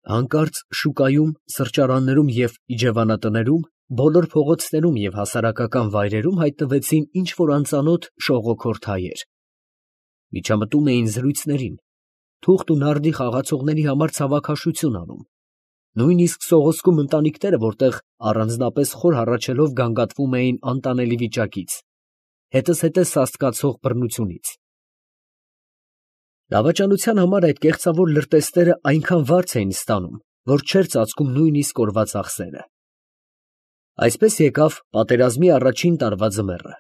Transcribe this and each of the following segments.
Հանկարծ շուկայում, սրճարաններում և իջևանատներում, բոլոր փողոցներում և հասարակական վայրերում հայտնվեցին ինչ֊որ անծանոթ շողոքորթ հայեր. միջամտում էին զրույցներին, թուղթ ու նարդի խաղացողների համար ցավաքաշություն անում, նույնիսկ սողոսկում ընտանիքները, որտեղ առանձնապես խոր հառաչելով գանգատվում էին անտանելի վիճակից, հետզհետե սաստկացող բռնությունից։ Դավաճանության համար այդ կեղծավոր լրտեսները այնքան վարձ էին ստանում, որ չէր ծածկում նույնիսկ օրվա ծախսերը։ Այսպես եկավ պատերազմի առաջին տարվա ձմեռը,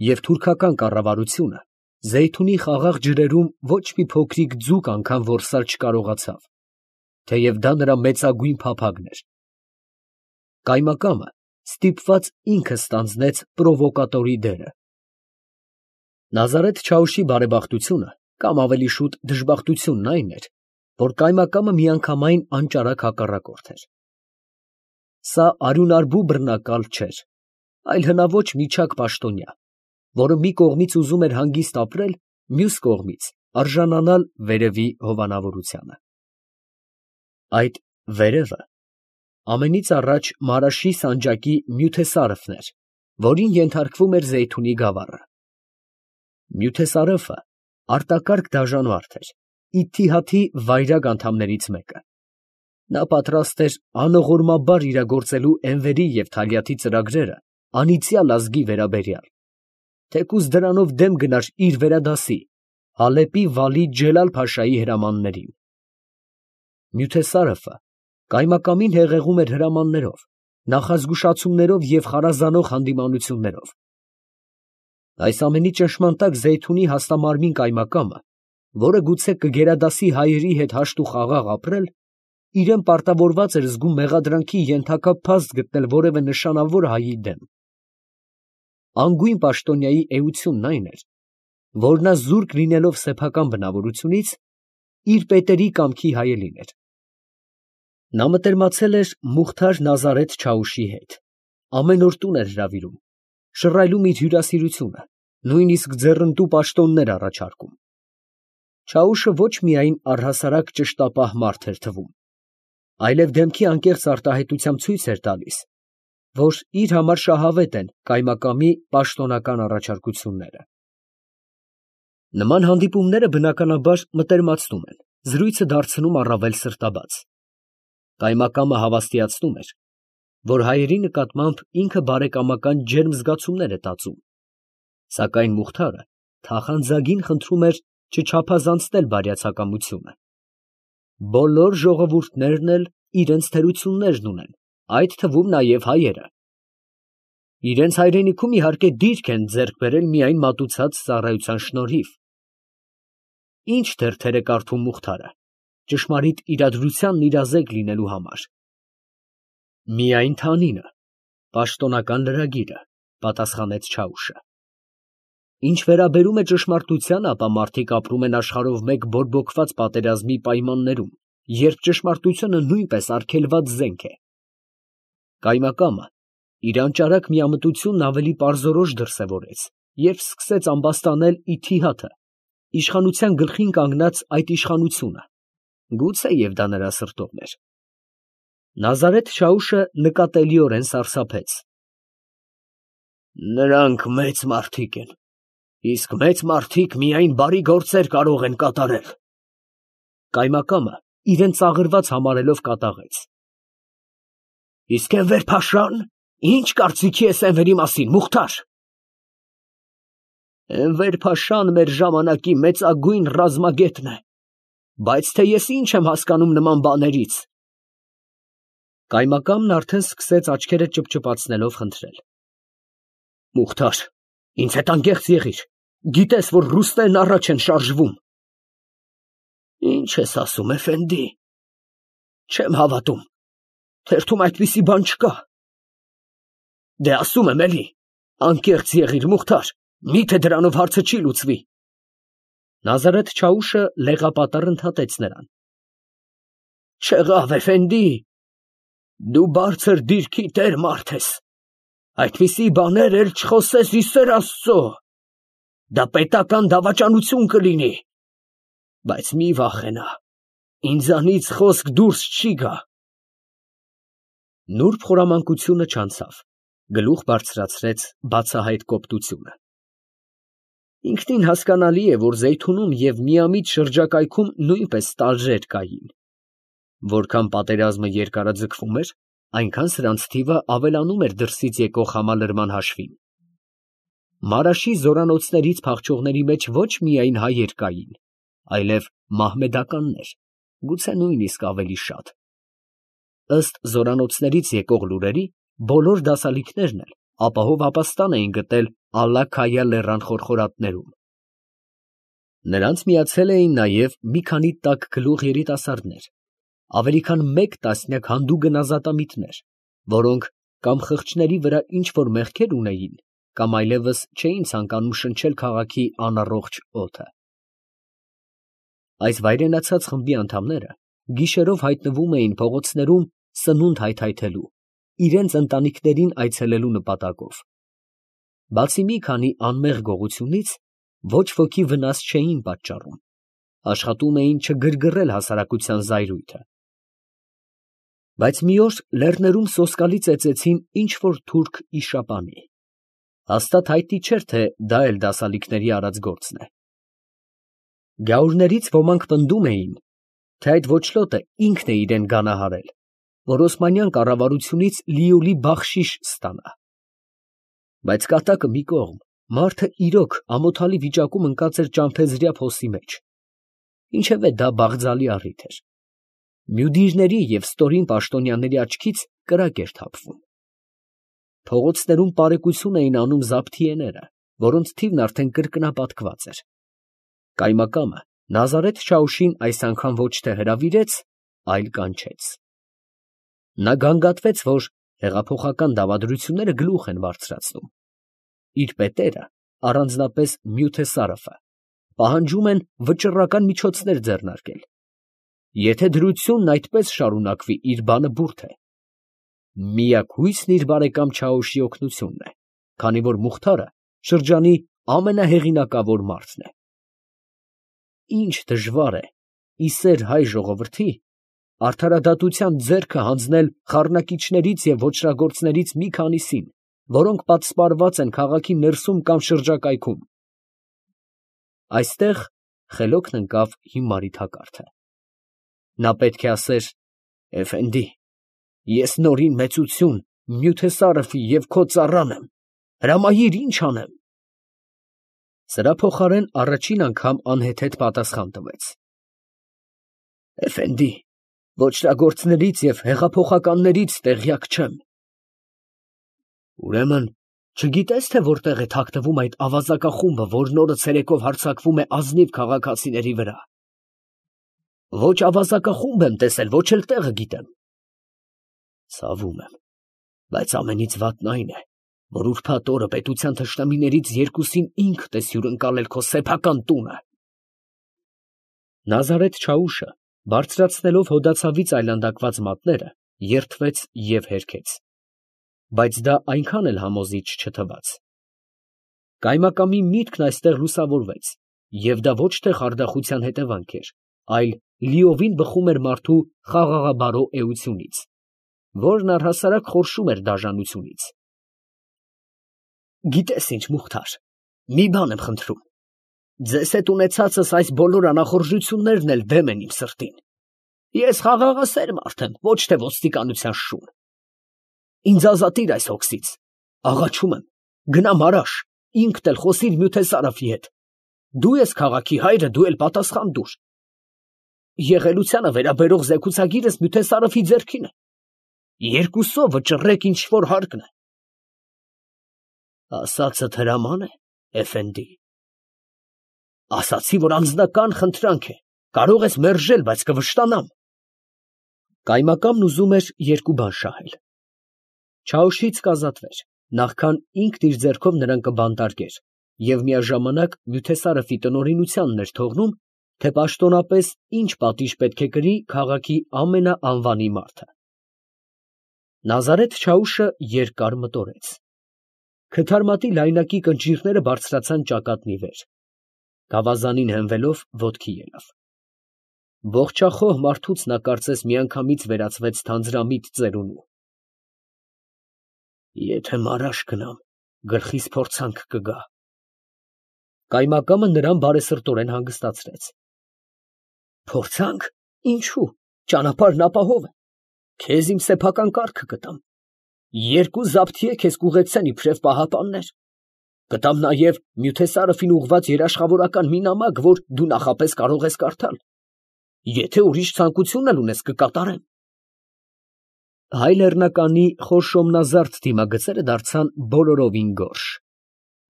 և թուրքական կառավարությունը Զեյթունի խաղաղ ջրերում ոչ մի փոքրիկ ձուկ անգամ որսալ չկարողացավ, թեև դա նրա մեծագույն փափագն էր։ Կայմակամը ստիպված ինքը ստանձնեց պրովոկատորի դերը։ Նազարեթ Չաուշի բարեբախտությունը, կամ ավելի շուտ դժբախտությունն այն էր, որ կայմակամը միանգամայն անճարակ հակառակորդ էր։ Սա արյունարբու բռնակալ չէր, այլ հնաոճ միչակ պաշտոնյա, որը մի կողմից ուզում էր հանգիստ ապրել, մյուս կողմից արժանանալ վերևի հովանավորությանը։ Այդ վերևը ամենից առաջ Մարաշի սանջակի Մյութեսարëվն էր, որին ենթարկվում էր Զեյթունի գավառը։ Մյութեսարëվը արտակարգ դաժան էր, Իթիհադի վայրագ անդամներից մեկը։ Նա պատրաստ էր անողորմաբար իրագործելու Էնվերի և Թալյաթի ծրագրերը անիծյալ ազգի վերաբերյալ, թեկուզ դրանով դեմ գնար իր վերադասի, Հալեպի վալի Ջելալ֊փաշայի հրամաններին։ Մյութեսարëվը կայմակամին հեղեղում էր հրամաններով, նախազգուշացումներով և խարազանող հանդիմանություններով։ Այս ամենի ճնշման տակ Զեյթունի հաստամարմին կայմակամը, որը գուցե կգերադասի հայերի հետ հաշտ ու խաղաղ ապրել, իրան պարտավորված էր զգում մեղադրանքի ենթակա փաստ գտնել որևէ նշանավոր հայի դեմ։ Անգույն պաշտոնյայի էությունն այն էր, որ նա զուրկ լինելով սեփական բնավորությունից, իր պետերի կամքի հայելին էր։ Նա մտերմացել էր Մուխթար Նազարեթ Չաուշի հետ, ամեն օր տուն էր հրավիրում, շռայլում իր հյուրասիրությունը, նույնիսկ ձեռնտու պաշտոններ առաջարկում։ Չաուշը ոչ միայն առհասարակ ճշտապահ մարդ էր թվում, այլև դեմքի անկեղծ արտահայտությամբ ցույց էր տալիս, որ իր համար շահավետ են կայմակամի պաշտոնական առաջարկությունները։ Նման հանդիպումները բնականաբար մտերմացնում են, զրույցը դարձնում առավել սրտաբաց։ Կայմակամը հավաստիացնում էր, որ հայերի նկատմամբ ինքը բարեկամական ջերմ զգացումներ է տածում, սակայն Մուխթարը թախանձագին խնդրում էր չչափազանցնել բարյացակամությունը։ Բոլոր ժողովուրդներն էլ իրենց թերություններն ունեն, այդ թվում նաև հայերը։ Իրենց հայրենիքում իհարկե դիրք են ձեռք բերել միայն մատուցած ծառայության շնորհիվ։ Ինչ թերթեր է կարդում Մուխթարը, ճշմարիտ իրադրությանն իրազեկ լինելու համար։ Միայն Թանինը, պաշտոնական լրագիրը, պատասխանեց Չաուշը։ Ինչ վերաբերում է ճշմարտությանը, ապա մարդիկ ապրում են աշխարհով մեկ բորբոքված պատերազմի պայմաններում, երբ ճշմարտությունը նույնպես արգելված զենք է։ Կայմակամը իր անճարակ միամտությունն ավելի պարզորոշ դրսևորեց, երբ սկսեց ամբաստանել Իթիհադը, իշխանության գլխին կանգնած այդ իշխանությունը, գուցե և դա նրա սրտովն էր։ Նազարեթ Չաուշը նկատելիորեն սարսափեց։ Նրանք մեծ մարդիկ են, իսկ մեծ մարդիկ միայն բարի գործեր կարող են կատարել։ Կայմակամը իրեն ծաղրված համարելով կատաղեց։ Իսկ Էնվեր Փաշան, ի՞նչ կարծիքի ես Էնվերի մասին, Մուխթար։ Էնվեր Փաշան մեր ժամանակի մեծագույն ռազմագետն է, բայց թե ես ինչ եմ հասկանում նման բաներից։ Կայմակամն արդեն սկսեց աչքերը ճպճպացնելով խնդրել։ Մուխթար, ինձ հետ անկեղծ եղիր, գիտես, որ ռուսներն առաջ են շարժվում։ Ինչ ես ասում, էֆենդի, չեմ հավատում, թերթում այդպիսի բան չկա։ Դե ասում եմ էլի, անկեղծ եղիր, Մուխթար, միթե դրանով հարցը չի լուծվի։ Նազարեթ Չաուշը լեղապատառ ընդհատեց նրան։ Չեղավ, էֆենդի, դու բարձր դիրքի տեր մարդ ես, այդպիսի բաներ էլ չխոսես ի սեր Աստծո, դա պետական դավաճանություն կլինի, բայց մի վախենա, Ինձանից խոսք դուրս չի գա։ Նուրբ խորամանկությունը չանցավ, գլուխ բարձրացրեց բացահայտ կոպտությունը։ Ինքնին հասկանալի է, որ Զեյթունում և միամիտ շրջակայքում նույնպես ստալժեր կային։ Որքան պատերազմը երկարաձգվում էր, այնքան սրանց թիվը ավելանում էր դրսից եկող համալրման հաշվին։ Մարաշի զորանոցներից փախչողների մեջ ոչ միայն հայեր կային, այլև մահմեդականներ, գուցե նույնիսկ ավելի շատ։ Ըստ զորանոցներից եկող լուրերի, բոլոր դասալիքներն էլ ապահով ապաստան էին գտել Ալլա-Քայա լեռան խորխորատներում։ Նրանց միացել էին նաև մի քանի տաքգլուխ երիտասարդներ, ավելի քան մեկ տասնյակ հանդուգն ազատամիտներ, որոնք կամ խղճների վրա ինչ֊որ մեղքեր ունեին, կամ այլևս չէին ցանկանում շնչել քաղաքի անառողջ օդը։ Այս վայրենացած խմբի անդամները գիշերով հայտնվում էին փողոցներում սնունդ հայթայթելու, իրենց ընտանիքներին այցելելու նպատակով։ Բացի մի քանի անմեղ գողությունից, ոչ ոքի վնաս չէին պատճառում, աշխատում էին չգրգռել հասարակության զայրույթը։ Բայց մի օր լեռներում սոսկալի ծեծեցին ինչ֊որ թուրք իշապանի։ Հաստատ հայտնի չէր, թե դա էլ դասալիքների արած գործն է։ Գյաուրներից ոմանք պնդում էին, թե այդ ոչլոտը ինքն է իրան գանահարել, որ օսմանյան կառավարությունից լիովի բախշիշ ստանա։ Բայց կատակը մի կողմ, մարդը իրոք ամոթալի վիճակում ընկած էր ճամփեզրյա փոսի մեջ։ Ինչևէ դա բաղձալի առիթ էր։ Մյուդիրների և ստորին պաշտոնյաների աչքից կրակ էր թափվում։ Փողոցներում պարեկություն էին անում զաբթիեները, որոնց թիվն արդեն կրկնապատկված էր։ Կայմակամը Նազարեթ Չաուշին այս անգամ ոչ թե հրավիրեց, այլ կանչեց։ Նա գանգատվեց, որ հեղափոխական դավադրությունները գլուխ են բարձրացնում։ Իր պետերը, առանձնապես Մյութեսարաֆը, պահանջում են վճռական միջոցներ ձեռնարկել։ Եթե դրությունն այդպես շարունակվի, իր բանը բուրդ է։ Միակ հույսն իր բարեկամ Չաուշի օգնությունն է, քանի որ Մուխթարը շրջանի ամենահեղինակավոր մարդն է։ Ինչ դժվար է, իսեր հայ ժողովրդի, արդարադատության ձեռքը հանձնել խառնակիչներից և ոճրագործներից մի քանիսին, որոնք պատսպարված են քաղաքի ներսում կամ շրջակայքում։ Այստեղ խելոքն ընկավ հիմարի թակարդը։ Նա պետք է ասեր. «Էֆենդի, ես նորին մեծություն Մյութեսարաֆի և քո ծառան եմ, հրամայիր, ինչ անեմ»։ Սրա փոխարեն առաջին անգամ անհեթեթ պատասխան տվեց. «Էֆենդի, ոճրագործներից և հեղափոխականներից տեղյակ չեմ»։ Ուրեմն չգիտե՞ս, թե որտեղ է թաքնվում այդ ավազակախումբը, որն օրը ցերեկով հարձակվում է ազնիվ քաղաքացիների վրա։ Ոչ ավազակախումբ եմ տեսել, ոչ էլ տեղը գիտեմ։ Ցավում եմ, բայց ամենից վատն այն է, որ ուրբաթ օրը պետության թշնամիներից երկուսին ինքդ ես հյուրընկալել քո սեփական տունը։ Նազարեթ Չաուշը, բարձրացնելով հոդացավից այլանդակված մատները, երդվեց և հերքեց։ Բայց դա այնքան էլ համոզիչ չթվաց։ Կայմակամի միտքն այստեղ լուսավորվեց, և դա ոչ թե խարդախության հետևանք էր, այլ լիովին բխում էր մարդու խաղաղաբարո էությունից, որն առհասարակ խորշում էր դաժանությունից։ Գիտես ինչ, Մուխթար, մի բան եմ խնդրում. ձեզ հետ ունեցածս այս բոլոր անախորժություններն էլ դեմ են իմ սրտին։ Ես խաղաղասեր մարդ եմ, ոչ թե ոստիկանության շուն։ Ինձ ազատիր այս հոգսից, աղաչում եմ, գնա Մարաշ, ինքդ էլ խոսիր Մյութեսարաֆի հետ։ Դու ես քաղաքի հայրը, դու էլ պատասխան տուր։ Եղելությանը վերաբերող զեկուցագիրս Մյութեսարաֆի ձեռքին է։ Երկուսով վճռեք ինչ որ հարկն է։ Ասածդ հրաման է, Էֆենդի։ Ասացի, որ անձնական խնդրանք է, կարող ես մերժել, բայց կվշտանամ։ Կայմակամն ուզում էր երկու բան շահել. Չաուշից կազատվեր, նախքան ինքն իր ձեռքով նրան կբանտարկեր, և միաժամանակ Մյութեսարաֆի տնօրինությանն էր թողնում, թե պաշտոնապես ինչ պատիժ պետք է կրի քաղաքի ամենաանվանի մարդը։ Նազարեթ Չաուշը երկար մտորեց։ Քթարմատի լայնակի կնճիռները բարձրացան ճակատնի վեր։ Գավազանին հենվելով ոտքի ելավ։ Ողջախոհ մարդուց նա կարծես միանգամից վերածվեց թանձրամիտ ծերունու։ Եթե մարաշ գնամ, գլխիս փորձանք կգա։ Կայմակամը նրան բարեսրտորեն հանգստացրեց։ Փորձանք, ինչու, ճանապարհն ապահով է, քեզ իմ սեփական կառքը կտամ, 2 զաբթիե քեզ կուղեկցեն իբրև պահապաններ, կտամ նաև Նյութեսարովին ուղղված երաշխավորական մի նամակ, որ դու նախապես կարող ես կարդալ, եթե ուրիշ ցանկություն էլ ունես կկատարեմ։ Հայ լեռնականի խոր շոմնազարդ դիմագծերը դարձան բոլորովին գորշ։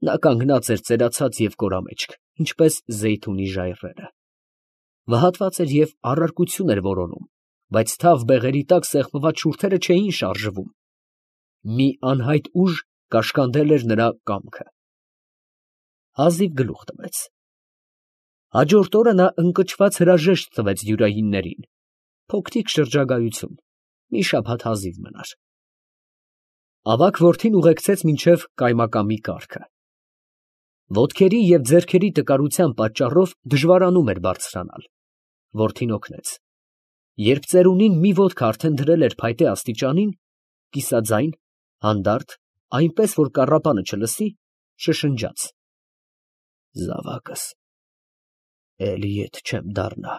Նա կանգնած էր ծերացած և կորամեջք, ինչպես զեյթունի ժայռերը։ Վհատված էր և առարկություն էր որոնում, բայց թավ բեղերի տակ սեղմված շուրթերը չէին շարժվում։ Մի անհայտ ուժ կաշկանդել էր նրա կամքը։ Հազիվ գլուխ տվեց։ Հաջորդ օրը նա ընկճված հրաժեշտ տվեց յուրայիններին։ Փոքրիկ շրջագայություն, մի շաբաթ հազիվ մնար։ Ավագ որդին ուղեկցեց մինչև կայմակամի կառքը։ Ոտքերի և ձեռքերի տկարության պատճառով դժվարանում էր բարձրանալ։ Որդին օգնեց։ Երբ ծերունին մի ոտք արդեն դրել էր փայտե աստիճանին, կիսաձայն, հանդարտ, այնպես որ կառապանը չլսի, շշնջաց. Զավակս, էլի ետ չեմ դառնա։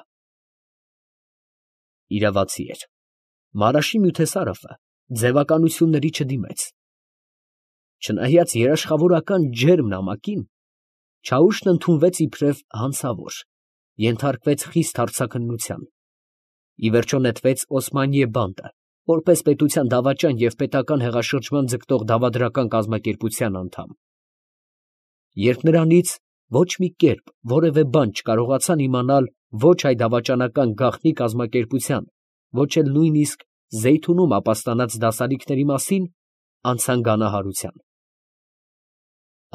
Իրավացի էր։ Մարաշի Նյութեսարովը ձևականությունների չդիմեց։ Չնայած երաշխավորական ջերմ նամակին, Չաուշն ընդունվեց իբրև հանցավոր, ենթարկվեց խիստ հարձակնության, ի վերջո նետվեց Օսմանիե բանդը, որպես պետության դավաճան և պետական հեղաշրջման ձգտող դավադրական կազմակերպության անդամ։ Երբ նրանից ոչ մի կերպ որևէ բան չկարողացան իմանալ ոչ հայ դավաճանական գաղտնի կազմակերպության, ոչ էլ նույնիսկ Զեյթունում ապաստանած դասարիքների մասին, անցան գանահարության։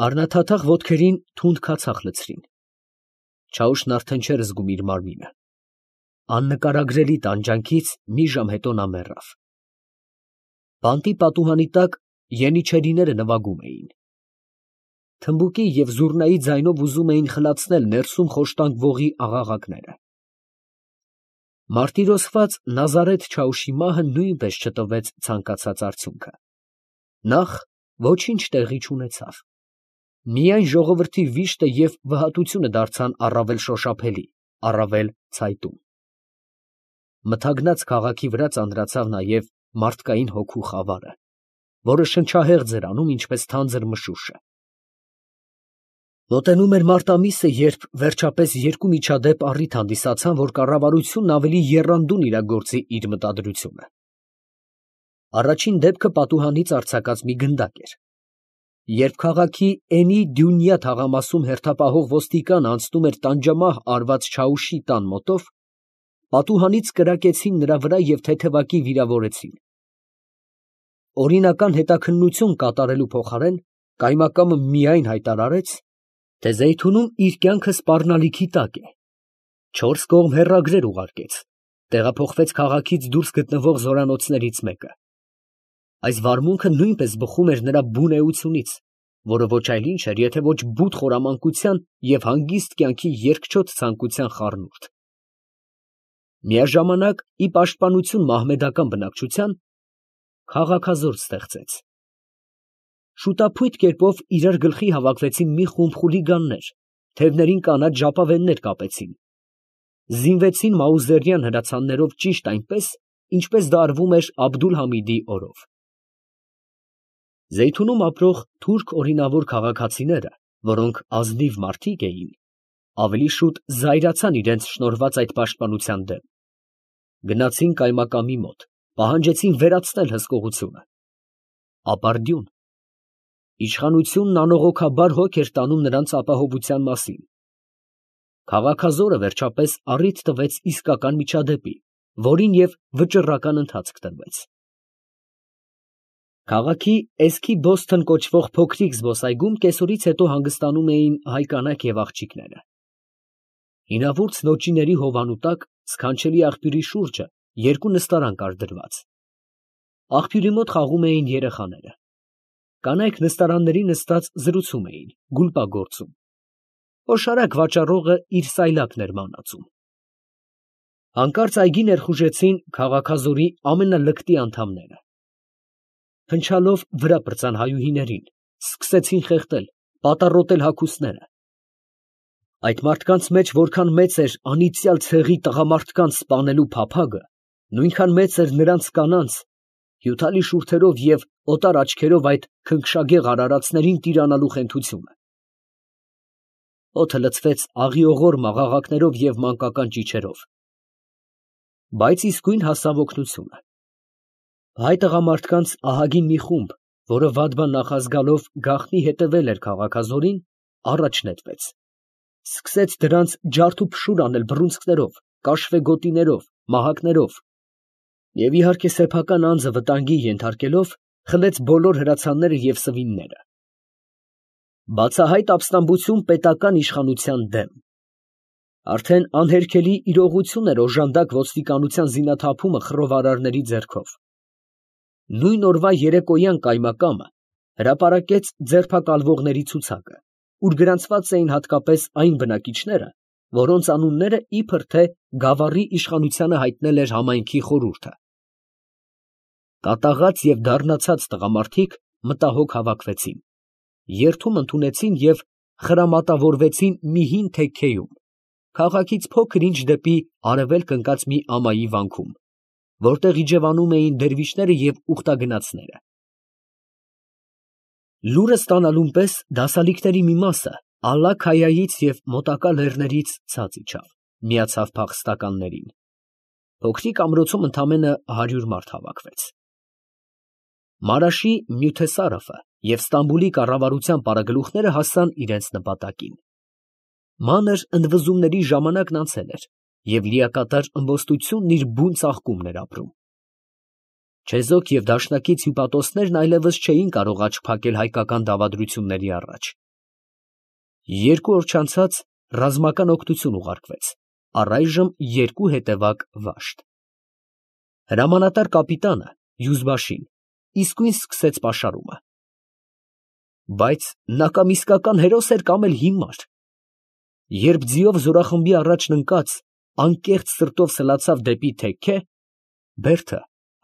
Առնաթաթախ ոտքերին թունդ քացախ լցրին։ Չաուշն արդեն չէր զգում իր մարմինը։ Աննկարագրելի տանջանքից մի ժամ հետո նա մեռավ։ Բանտի պատուհանի տակ ենիչերիները նվագում էին։ Թմբուկի և զուռնայի ձայնով ուզում էին խլացնել ներսում խոշտանգվողի աղաղակները։ Մարտիրոսված Նազարեթ Չաուշի մահը նույնպես չտվեց ցանկացած արդյունքը։ Նախ ոչինչ տեղի չունեցավ։ Միայն ժողովրդի վիշտը և վհատությունը դարձան առավել շոշափելի, առավել ցայտուն։ Մթագնած քաղաքի վրա ծանրացավ նաև մարդկային հոգու խավարը, որը շնչահեղձ էր անում, ինչպես թանձր մշուշը։ Մոտենում էր մարտ ամիսը, երբ վերջապես 2 միջադեպ առիթ հանդիսացան, որ կառավարությունն ավելի եռանդուն իրագործի իր մտադրությունը։ Առաջին դեպքը պատուհանից արձակած մի գնդակ էր։ Երբ քաղաքի Էնի Դյունյա թաղամասում հերթապահող ոստիկանը անցնում էր տանջամահ արված Չաուշի տան մոտով, պատուհանից կրակեցին նրա վրա և թեթևակի վիրավորեցին։ Օրինական հետաքննություն կատարելու փոխարեն կայմակամը միայն հայտարարեց, թե Զեյթունում իր կյանքը սպառնալիքի տակ է, 4 կողմ հեռագրեր ուղարկեց, տեղափոխվեց քաղաքից դուրս գտնվող զորանոցներից մեկը։ Այս վարմունքը նույնպես բխում էր նրա բուն էությունից, որը ոչ այլ ինչ էր, եթե ոչ բութ խորամանկության և հանգիստ կյանքի երկչոտ ցանկության խառնուրդ։ Միաժամանակ, ի պաշտպանություն մահմեդական բնակչության, քաղաքազործ ստեղծեց։ Շուտափույթ կերպով իրար գլխի հավաքվեցին մի խումբ խուլիգաններ, թևներին կանաչ ժապավեններ կապեցին, զինվեցին մաուզերյան հրացաններով ճիշտ այնպես, ինչպես դա արվում էր Աբդուլ֊Համիդի օրով։ Զեյթունում ապրող թուրք օրինավոր քաղաքացիները, որոնք ազնիվ մարդիկ էին, ավելի շուտ զայրացան իրենց շնորհված այդ պաշտպանության դեմ։ Գնացին կայմակամի մոտ, պահանջեցին վերացնել հսկողությունը։ Ապարդյուն։ Իշխանությունն անողոքաբար հոգ էր տանում նրանց ապահովության մասին։ Քաղաքազորը վերջապես առիթ տվեց իսկական միջադեպի, որին և վճռական ընթացք տրվեց։ Քաղաքի Էսքի Բոսթըն կոչվող փոքրիկ զբոսայգում կեսօրից հետո հանգստանում էին հայ կանայք և աղջիկները։ Հինավուրց նոճիների հովանու տակ սքանչելի աղբյուրի շուրջը 2 նստարան կար դրված։ Աղբյուրի մոտ խաղում էին երեխաները։ Կանայք նստարանների նստած զրուցում էին, գուլպա գործում։ Օշարակ վաճառողը իր սայլակն էր մանածում։ Հանկարծ այգի ներխուժեցին քաղաքազորի ամենալկտի անդամները. փնչալով վրա պրծան հայուհիներին, սկսեցին խեղդել, պատառոտել հագուստները. այդ մարդկանց մեջ որքան մեծ էր անիծյալ ցեղի տղամարդկանց սպանելու փափագը, նույնքան մեծ էր նրանց կանանց, հյութալի շուրթերով և օտար աչքերով այդ քնքշագեղ արարածներին տիրանալու խենթությունը։ Օդը լցվեց աղիողոր մաղաղակներով և մանկական ճիչերով, բայց իսկույն հասավ օգնությունը։ Հայ տղամարդկանց ահագին մի խումբ, որը վատ-բան նախազգալով գաղտնի հետևել էր քաղաքազորին, առաջ նետվեց, սկսեց դրանց ջարդ ու փշուր անել բռունցքներով, կաշվե գոտիներով, մահակներով և իհարկե սեփական անձը վտանգի ենթարկելով խլեց բոլոր հրացանները և սվինները։ Բացահայտ ապստամբություն պետական իշխանության դեմ։ Արդեն անհերքելի իրողություն էր օժանդակ ոստիկանության զինաթափումը խռովարարների ձեռքով։ Նույն օրվա երեկոյան կայմակամը հրապարակեց ձերբակալվողների ցուցակը, ուր գրանցված էին հատկապես այն բնակիչները, որոնց անունները իբր թե Գավառի իշխանությանը հայտնել էր համայնքի խորհուրդը։ Կատաղած և դառնացած տղամարդիկ մտահոգ հավաքվեցին, երթում ընդունեցին և խրամատավորվեցին մի հին թեքքեյում, քաղաքից փոքր ինչ դեպի արևելք ընկած մի ամայի վանքում, որտեղ իջևանում էին դերվիշները և ուխտագնացները։ Լուրը ստանալուն պես դասալիկների մի մասը Ալլա-Քայայից և մոտակա լեռներից ցած իջավ, միացավ փախստականներին։ Փոքրիկ ամրոցում ընդամենը 100 մարդ հավաքվեց։ Մարաշի Մյութեսարաֆը և Ստամբուլի կառավարության պարագլուխները հասան իրենց նպատակին։ Մանր ընդվզումների ժամանակն անցել էր, և լիակատար ըմբոստությունն իր բուն ծաղկումն էր ապրում։ Չեզոք և դաշնակից հյուպատոսներն այլևս չէին կարող աչք փակել հայկական դավադրությունների առաջ։ 2 օր չանցած ռազմական օգնություն ուղարկվեց, առայժմ 2 հետևակ վաշտ։ Հրամանատար կապիտանը Յուզբաշին իսկույն սկսեց պաշարումը։ Բայց նա կամ իսկական հերոս էր, կամ էլ հիմար։ Երբ ձիով զորախմբի առաջն ընկած, անկեղծ սրտով սլացավ դեպի թեքքե, բերդը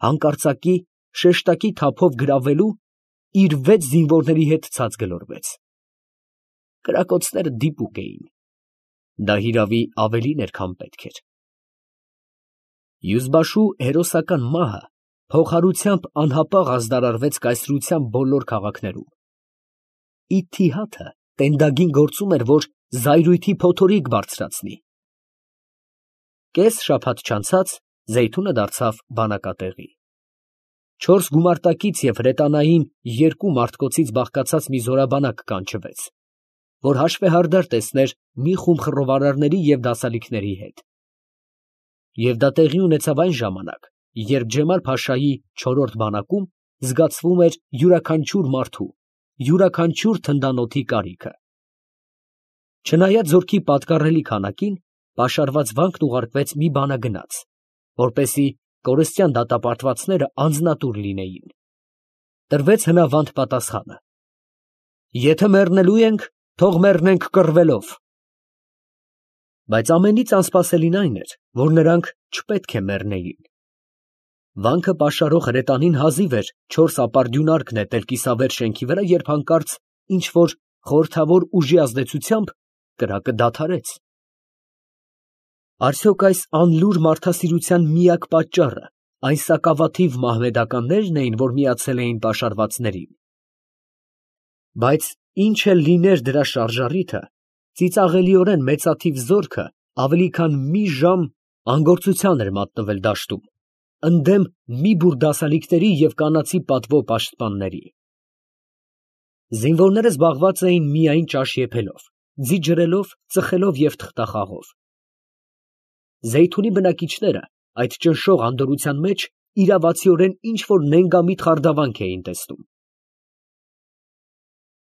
հանկարծակի շեշտակի թափով գրավելու իր 6 զինվորների հետ ցած գլորվեց։ Կրակոցները դիպուկ էին։ Դա հիրավի ավելին էր, քան պետք էր։ Յուզբաշու հերոսական մահը փոխհարությամբ անհապաղ ազդարարվեց կայսրության բոլոր քաղաքներում։ Իթիհադը տենդագին գործում էր, որ զայրույթի փոթորիկ բարձրացնի։ Կես շաբաթ չանցած Զեյթունը դարձավ բանակատեղի։ 4 գումարտակից և հրետանային 2 մարտկոցից բաղկացած մի զորաբանակ կանչվեց, որ հաշվեհարդար տեսներ մի խումբ խռովարարների և դասալիկների հետ։ Եվ դա տեղի ունեցավ այն ժամանակ, երբ Ջեմալ֊Փաշայի 4-րդ բանակում զգացվում էր յուրաքանչյուր մարդու, յուրաքանչյուր թնդանոթի կարիքը։ Չնայած զորքի պատկառելի քանակին, պաշարված վանքն ուղարկվեց մի բանագնաց, որպեսզի կորստյան դատապարտվածները անձնատուր լինեին։ Տրվեց հնավանդ պատասխանը. «Եթե մեռնելու ենք, թող մեռնենք կռվելով»։ Բայց ամենից անսպասելին այն էր, որ նրանք չպետք է մեռնեին։ Վանքը պաշարող հրետանին հազիվ էր 4 ապարդյունարկ նետել կիսավեր շենքի վրա, երբ հանկարծ ինչ֊որ խորհրդավոր ուժի ազդեցությամբ կրակը դադարեց։ Արդյոք այս անլուր մարդասիրության միակ պատճառը այն սակավաթիվ մահմեդականնե՞րն էին, որ միացել էին պաշարվածներին։ Բայց ինչ էլ լիներ դրա շարժառիթը, ծիծաղելիորեն մեծաթիվ զորքը ավելի քան մի ժամ անգործության էր մատնվել դաշտում, ընդդեմ մի բուռ դասալիկների և կանացի պատվո պաշտպանների։ Զինվորները զբաղված էին միայն ճաշ եփելով, ձի ջրելով, ծխելով և թղթախաղով։ Զեյթունի բնակիչները այդ ճնշող անդորրության մեջ իրավացիորեն ինչ֊որ նենգամիտ խարդավանք էին տեսնում։